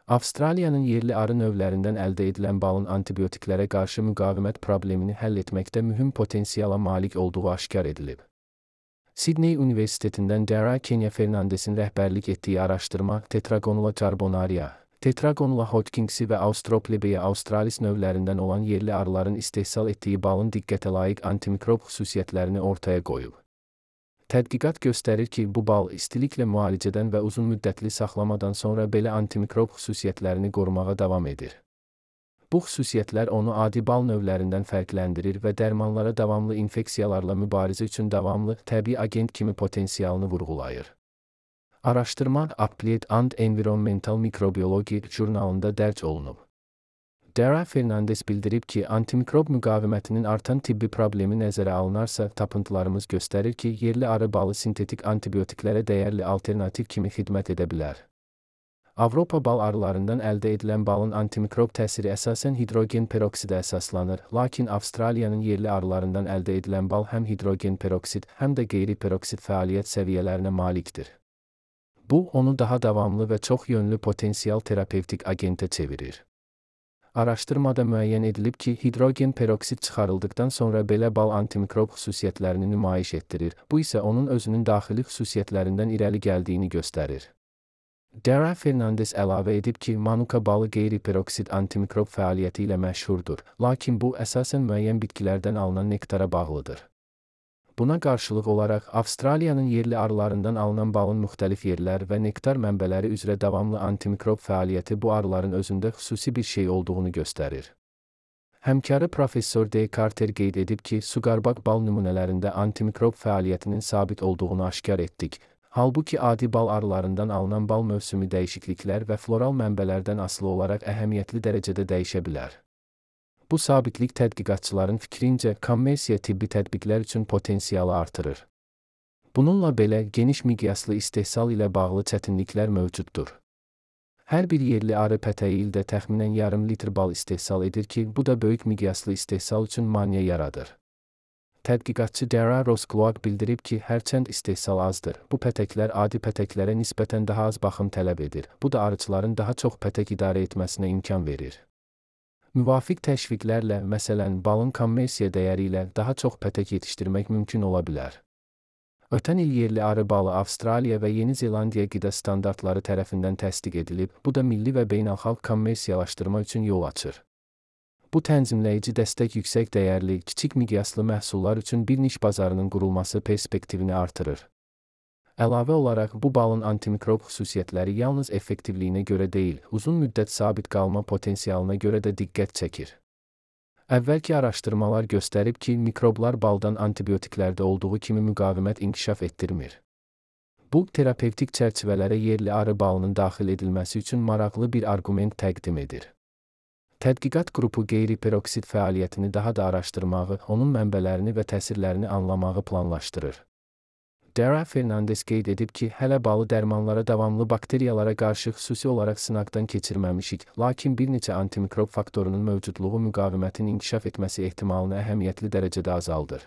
Avstraliyanın yerli arı növlərindən əldə edilən balın antibiotiklərə qarşı müqavimət problemini həll etməkdə mühüm potensiala malik olduğu aşkar edilib. Sydney Universitetindən Dara Kenya Fernandesin rəhbərlik etdiyi araşdırma Tetragonula carbonaria, Tetragonula hodgkinsi və Australoplebeia australis növlərindən olan yerli arıların istehsal etdiyi balın diqqətə layiq antimikrob xüsusiyyətlərini ortaya qoyub. Tədqiqat göstərir ki, bu bal istiliklə müalicədən və uzun müddətli saxlamadan sonra belə antimikrob xüsusiyyətlərini qorumağa davam edir. Bu xüsusiyyətlər onu adi bal növlərindən fərqləndirir və dərmanlara davamlı infeksiyalarla mübarizə üçün davamlı, təbii agent kimi potensialını vurğulayır. Araşdırma Applied and Environmental Microbiology jurnalında dərc olunub. Dara Fernandes bildirib ki, antimikrob müqavimətinin artan tibbi problemi nəzərə alınarsa, tapıntılarımız göstərir ki, yerli arı balı sintetik antibiotiklərə dəyərli alternativ kimi xidmət edə bilər. Avropa bal arılarından əldə edilən balın antimikrob təsiri əsasən hidrogen peroksidə əsaslanır, lakin Avstraliyanın yerli arılarından əldə edilən bal həm hidrogen peroksid, həm də qeyri-peroksid fəaliyyət səviyyələrinə malikdir. Bu, onu daha davamlı və çox yönlü potensial terapevtik agentə çevirir. Araşdırmada müəyyən edilib ki, hidrogen peroksid çıxarıldıqdan sonra belə bal antimikrob xüsusiyyətlərini nümayiş etdirir. Bu isə onun özünün daxili xüsusiyyətlərindən irəli gəldiyini göstərir. Dara Fernandes əlavə edib ki, manuka balı qeyri-peroksid antimikrob fəaliyyəti ilə məşhurdur, lakin bu əsasən müəyyən bitkilərdən alınan nektara bağlıdır. Buna qarşılıq olaraq, Avstraliyanın yerli arılarından alınan balın müxtəlif yerlər və nektar mənbələri üzrə davamlı antimikrob fəaliyyəti bu arıların özündə xüsusi bir şey olduğunu göstərir. Həmkarı Professor D. Carter qeyd edib ki, suqarbaq bal nümunələrində antimikrob fəaliyyətinin sabit olduğunu aşkar etdik. Halbuki adi bal arılarından alınan bal mövsümü dəyişikliklər və floral mənbələrdən asılı olaraq əhəmiyyətli dərəcədə dəyişə bilər. Bu sabitlik tədqiqatçıların fikrincə kommersiya tibbi tətbiqlər üçün potensialı artırır. Bununla belə, geniş miqyaslı istehsal ilə bağlı çətinliklər mövcuddur. Hər bir yerli arı pətəyi ildə təxminən yarım litr bal istehsal edir ki, bu da böyük miqyaslı istehsal üçün maneə yaradır. Tədqiqatçı Dara Roskloak bildirib ki, hərçənd istehsal azdır, bu pətəklər adi pətəklərə nisbətən daha az baxım tələb edir. Bu da arıçıların daha çox pətək idarə etməsinə imkan verir. Müvafiq təşviqlərlə, məsələn, balın kommersiya dəyəri ilə daha çox pətək yetişdirmək mümkün ola bilər. Ötən il yerli arı balı Avstraliya və Yeni Zelandiya qida standartları tərəfindən təsdiq edilib, bu da milli və beynəlxalq kommersiyalaşdırma üçün yol açır. Bu tənzimləyici dəstək yüksək dəyərli, kiçik miqyaslı məhsullar üçün bir niş bazarının qurulması perspektivini artırır. Əlavə olaraq, bu balın antimikrob xüsusiyyətləri yalnız effektivliyinə görə deyil, uzun müddət sabit qalma potensialına görə də diqqət çəkir. Əvvəlki araşdırmalar göstərib ki, mikroblar baldan antibiotiklərdə olduğu kimi müqavimət inkişaf etdirmir. Bu, terapevtik çərçivələrə yerli arı balının daxil edilməsi üçün maraqlı bir arqument təqdim edir. Tədqiqat qrupu qeyri-peroksid fəaliyyətini daha da araşdırmağı, onun mənbələrini və təsirlərini anlamağı planlaşdırır. Dara Fernandes qeyd edib ki, hələ balı dərmanlara davamlı bakteriyalara qarşı xüsusi olaraq sınaqdan keçirməmişik, lakin bir neçə antimikrob faktorunun mövcudluğu müqavimətin inkişaf etməsi ehtimalını əhəmiyyətli dərəcədə azaldır.